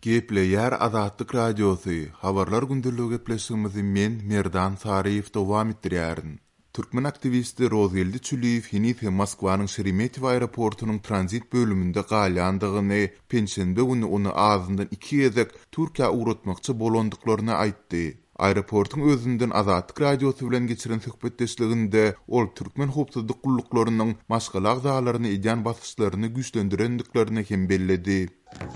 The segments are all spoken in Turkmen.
Gepleýär Azatlyk Radiosy, Habarlar gündeligi gepleşigimizi men, Merdan Saryýew dowam etdirýärin. Türkmen aktiwisti Rozgeldi Çüliýew heniz hem Moskwanyň Şeremetýewo aeroportunyň tranzit bölüminde galýandygyny, penşenbe güni ony azyndan iki gezek Türkiýä ugratmakçy bolandyklaryny aýtdy. Aeroportuň özünden Azatlyk Radiosy bilen geçiren söhbetdeşliginde ol türkmen howpsuzlyk gulluklarynyň maşgala agzalaryna edýän basyşlaryny güýçlendirendiklerini hem belledi.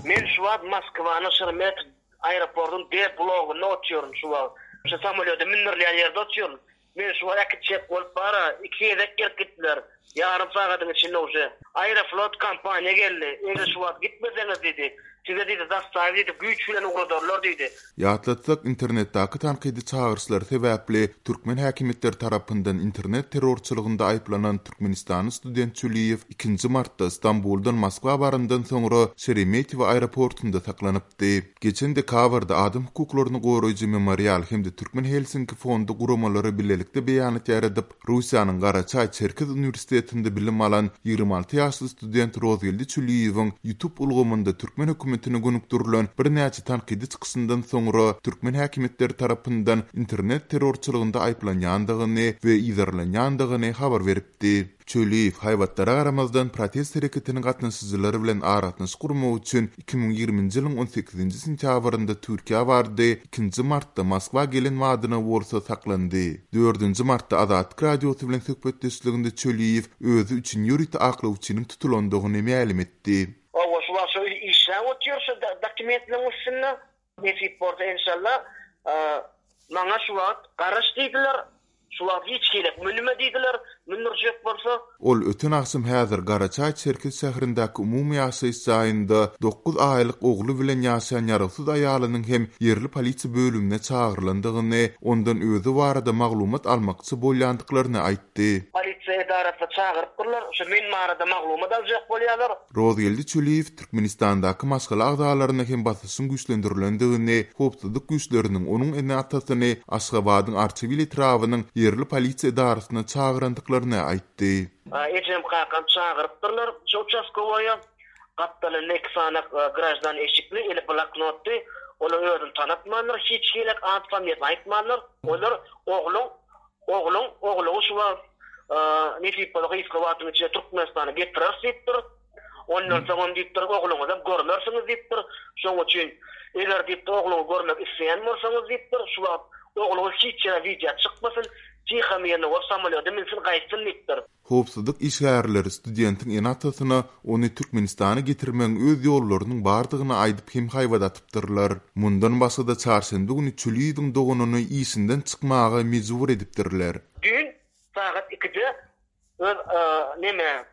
Men şu wagt Moskwanyň Şeremetýewo aeroportunyň D blogunda otyryn şu wagt. Şu samolýoda mündürilýän ýerde otyryn. Meni şu wagt äkitjek bolup bar-a, iki gezek gelip gitdiler. Ýarym sagadyň içinde uje. Aeroflot kompaniýa geldi. Eger şu wagt gitmeseňiz diýdi, size diýdi, zastawi diýdi, güýç bilen ugradarlar diýdi. Ýatlatsak, internetdäki tankydy çagyryşlar sebäpli türkmen häkimiýetleri tarapyndan internet terrorçylygynda aýyplanan türkmenistanly student Çüliýew ikinji martda Stambuldan Moskwa barandan soňra Şeremetýewo aeroportunda saklanypdy. Geçen dekabrda adam hukuklaryny goraýjy Memorial hem-de Türkmen Helsinki fondy guramalary bilelikde beýanat ýaýradyp, Russiýanyň Garaçaý-Çerkez uniwersitetinde bilim alan 26 ýaşly student Rozgeldi Çüliýewiň YouTube ulgamynda türkmen hökümetine gönükdirilen birnäçe tankydy çykyşyndan soňra türkmen häkimiýetleri tarapyndan internet terrorçylygynda aýyplanýandygyny we yzarlanýandygyny habar beripdi. Çöliýew, haýbatlara garamazdan protest hereketiniň gatnaşyjylary bilen aragatnaşyk gurmak üçin 2020-nji ýylyň on sekizinji sentýabrynda Türkiýä bardy, ikinji martda Moskwa gelen badyna bolsa saklandy. Dördünji martda Azatlyk Radiosy bilen söhbetdeşliginde Çöliýew özi üçin ýörite aklawçynyň tutulandygyny mälim etdi. Hawa şu wagt şo işläp otyr şu dokumentleriň üstünde. Nesip bolsa enşalla maňa şu wagt garaş diýdiler. Şu wagt hiç hili münme diýdiler, mündürjek bolsa. Ol öten agşam häzir Garaçaý-Çerkez şäherindäki umumy ýaşaýyş jaýynda dokuz aýlyk ogly bilen ýaşaýan ýarawsyz aýalynyň hem ýerli polisiýa bölümine çagyrylandygyny, ondan özi barada maglumat almakçy bolýandyklaryny aýtdy. Polisiýa edarasyna çagyrypdyrlar, şu men barada maglumat aljak bolýarlar. Rozgeldi Çüliýew Türkmenistandaky maşgala agzalaryna hem basyşyň güýçlendirilendigini, howpsuzlyk güýçleriniň onuň ene-atasyny Aşgabadyň Arçabil etrabynyň ýerli polisiýa edarasyna çagyrandyklaryny aýtdy. Ejem-kakam çagyrypdyrlar şu uçastkowoýa. Gapdalynda iki sany graždan eşikli, eli bloknotly. Olar özüni tanatmandyr, hiç hili at-familiýasyny aýtmandyr. Olar ogluň Ogluň, ogluňy şu wagt, nesip bolsa gysga wagtyň içinde Türkmenistana getireris diýipdir. Ondan soňam diýipdir, ogluňyzam görmersiňiz diýipdir. Şonuň üçin, eger diýipdir, ogluňy görmek isleýän bolsaňyz diýipdir, şu wagt ogluňyz hiç ýere wideo çykmasyn, tiha mirno bolup samolýoda minsin gaýtsyn diýipdir. Howpsuzlyk işgärleri studentiň ene-atasyna ony Türkmenistana getirmegiň öz ýollarynyň bardygyny aýdyp hem haýbat atypdyrlar. Mundan başga-da çarşenbe güni Çüliýewiň doganyny işinden çykmaga mejbur edipdirler. Düýn sagat ikide öz neme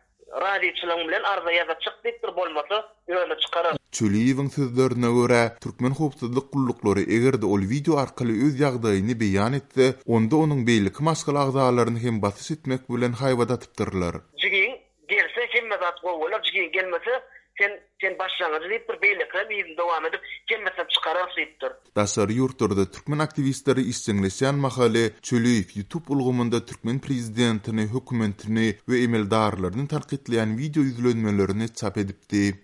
razyçylygyň bilen arza ýaza çyk diýipdir bolmasa özüni çykarar. Çöliýewiň sözlerine görä, türkmen howpsuzlyk gulluklary eger-de ol wideo arkaly öz ýagdaýyny beýan etse, onda onuň beýleki maşgala agzalaryny hem basyş etmek bilen haýbat atypdyrlar. Jigiň gelse hemme zat gowy bolar, jigiň gelmese sen sen başlangyjy diýipdir, beýlekilerem yzyny dowam edip hemmesinem çykararys diýipdir. Daşary ýurtlarda türkmen aktiwistleri işjeňleşýän mahaly Çöliýew YouTube ulgamynda türkmen prezidentini, hökümetini we emeldarlaryny tankytlaýan wideo ýüzlenmelerini çap edipdi.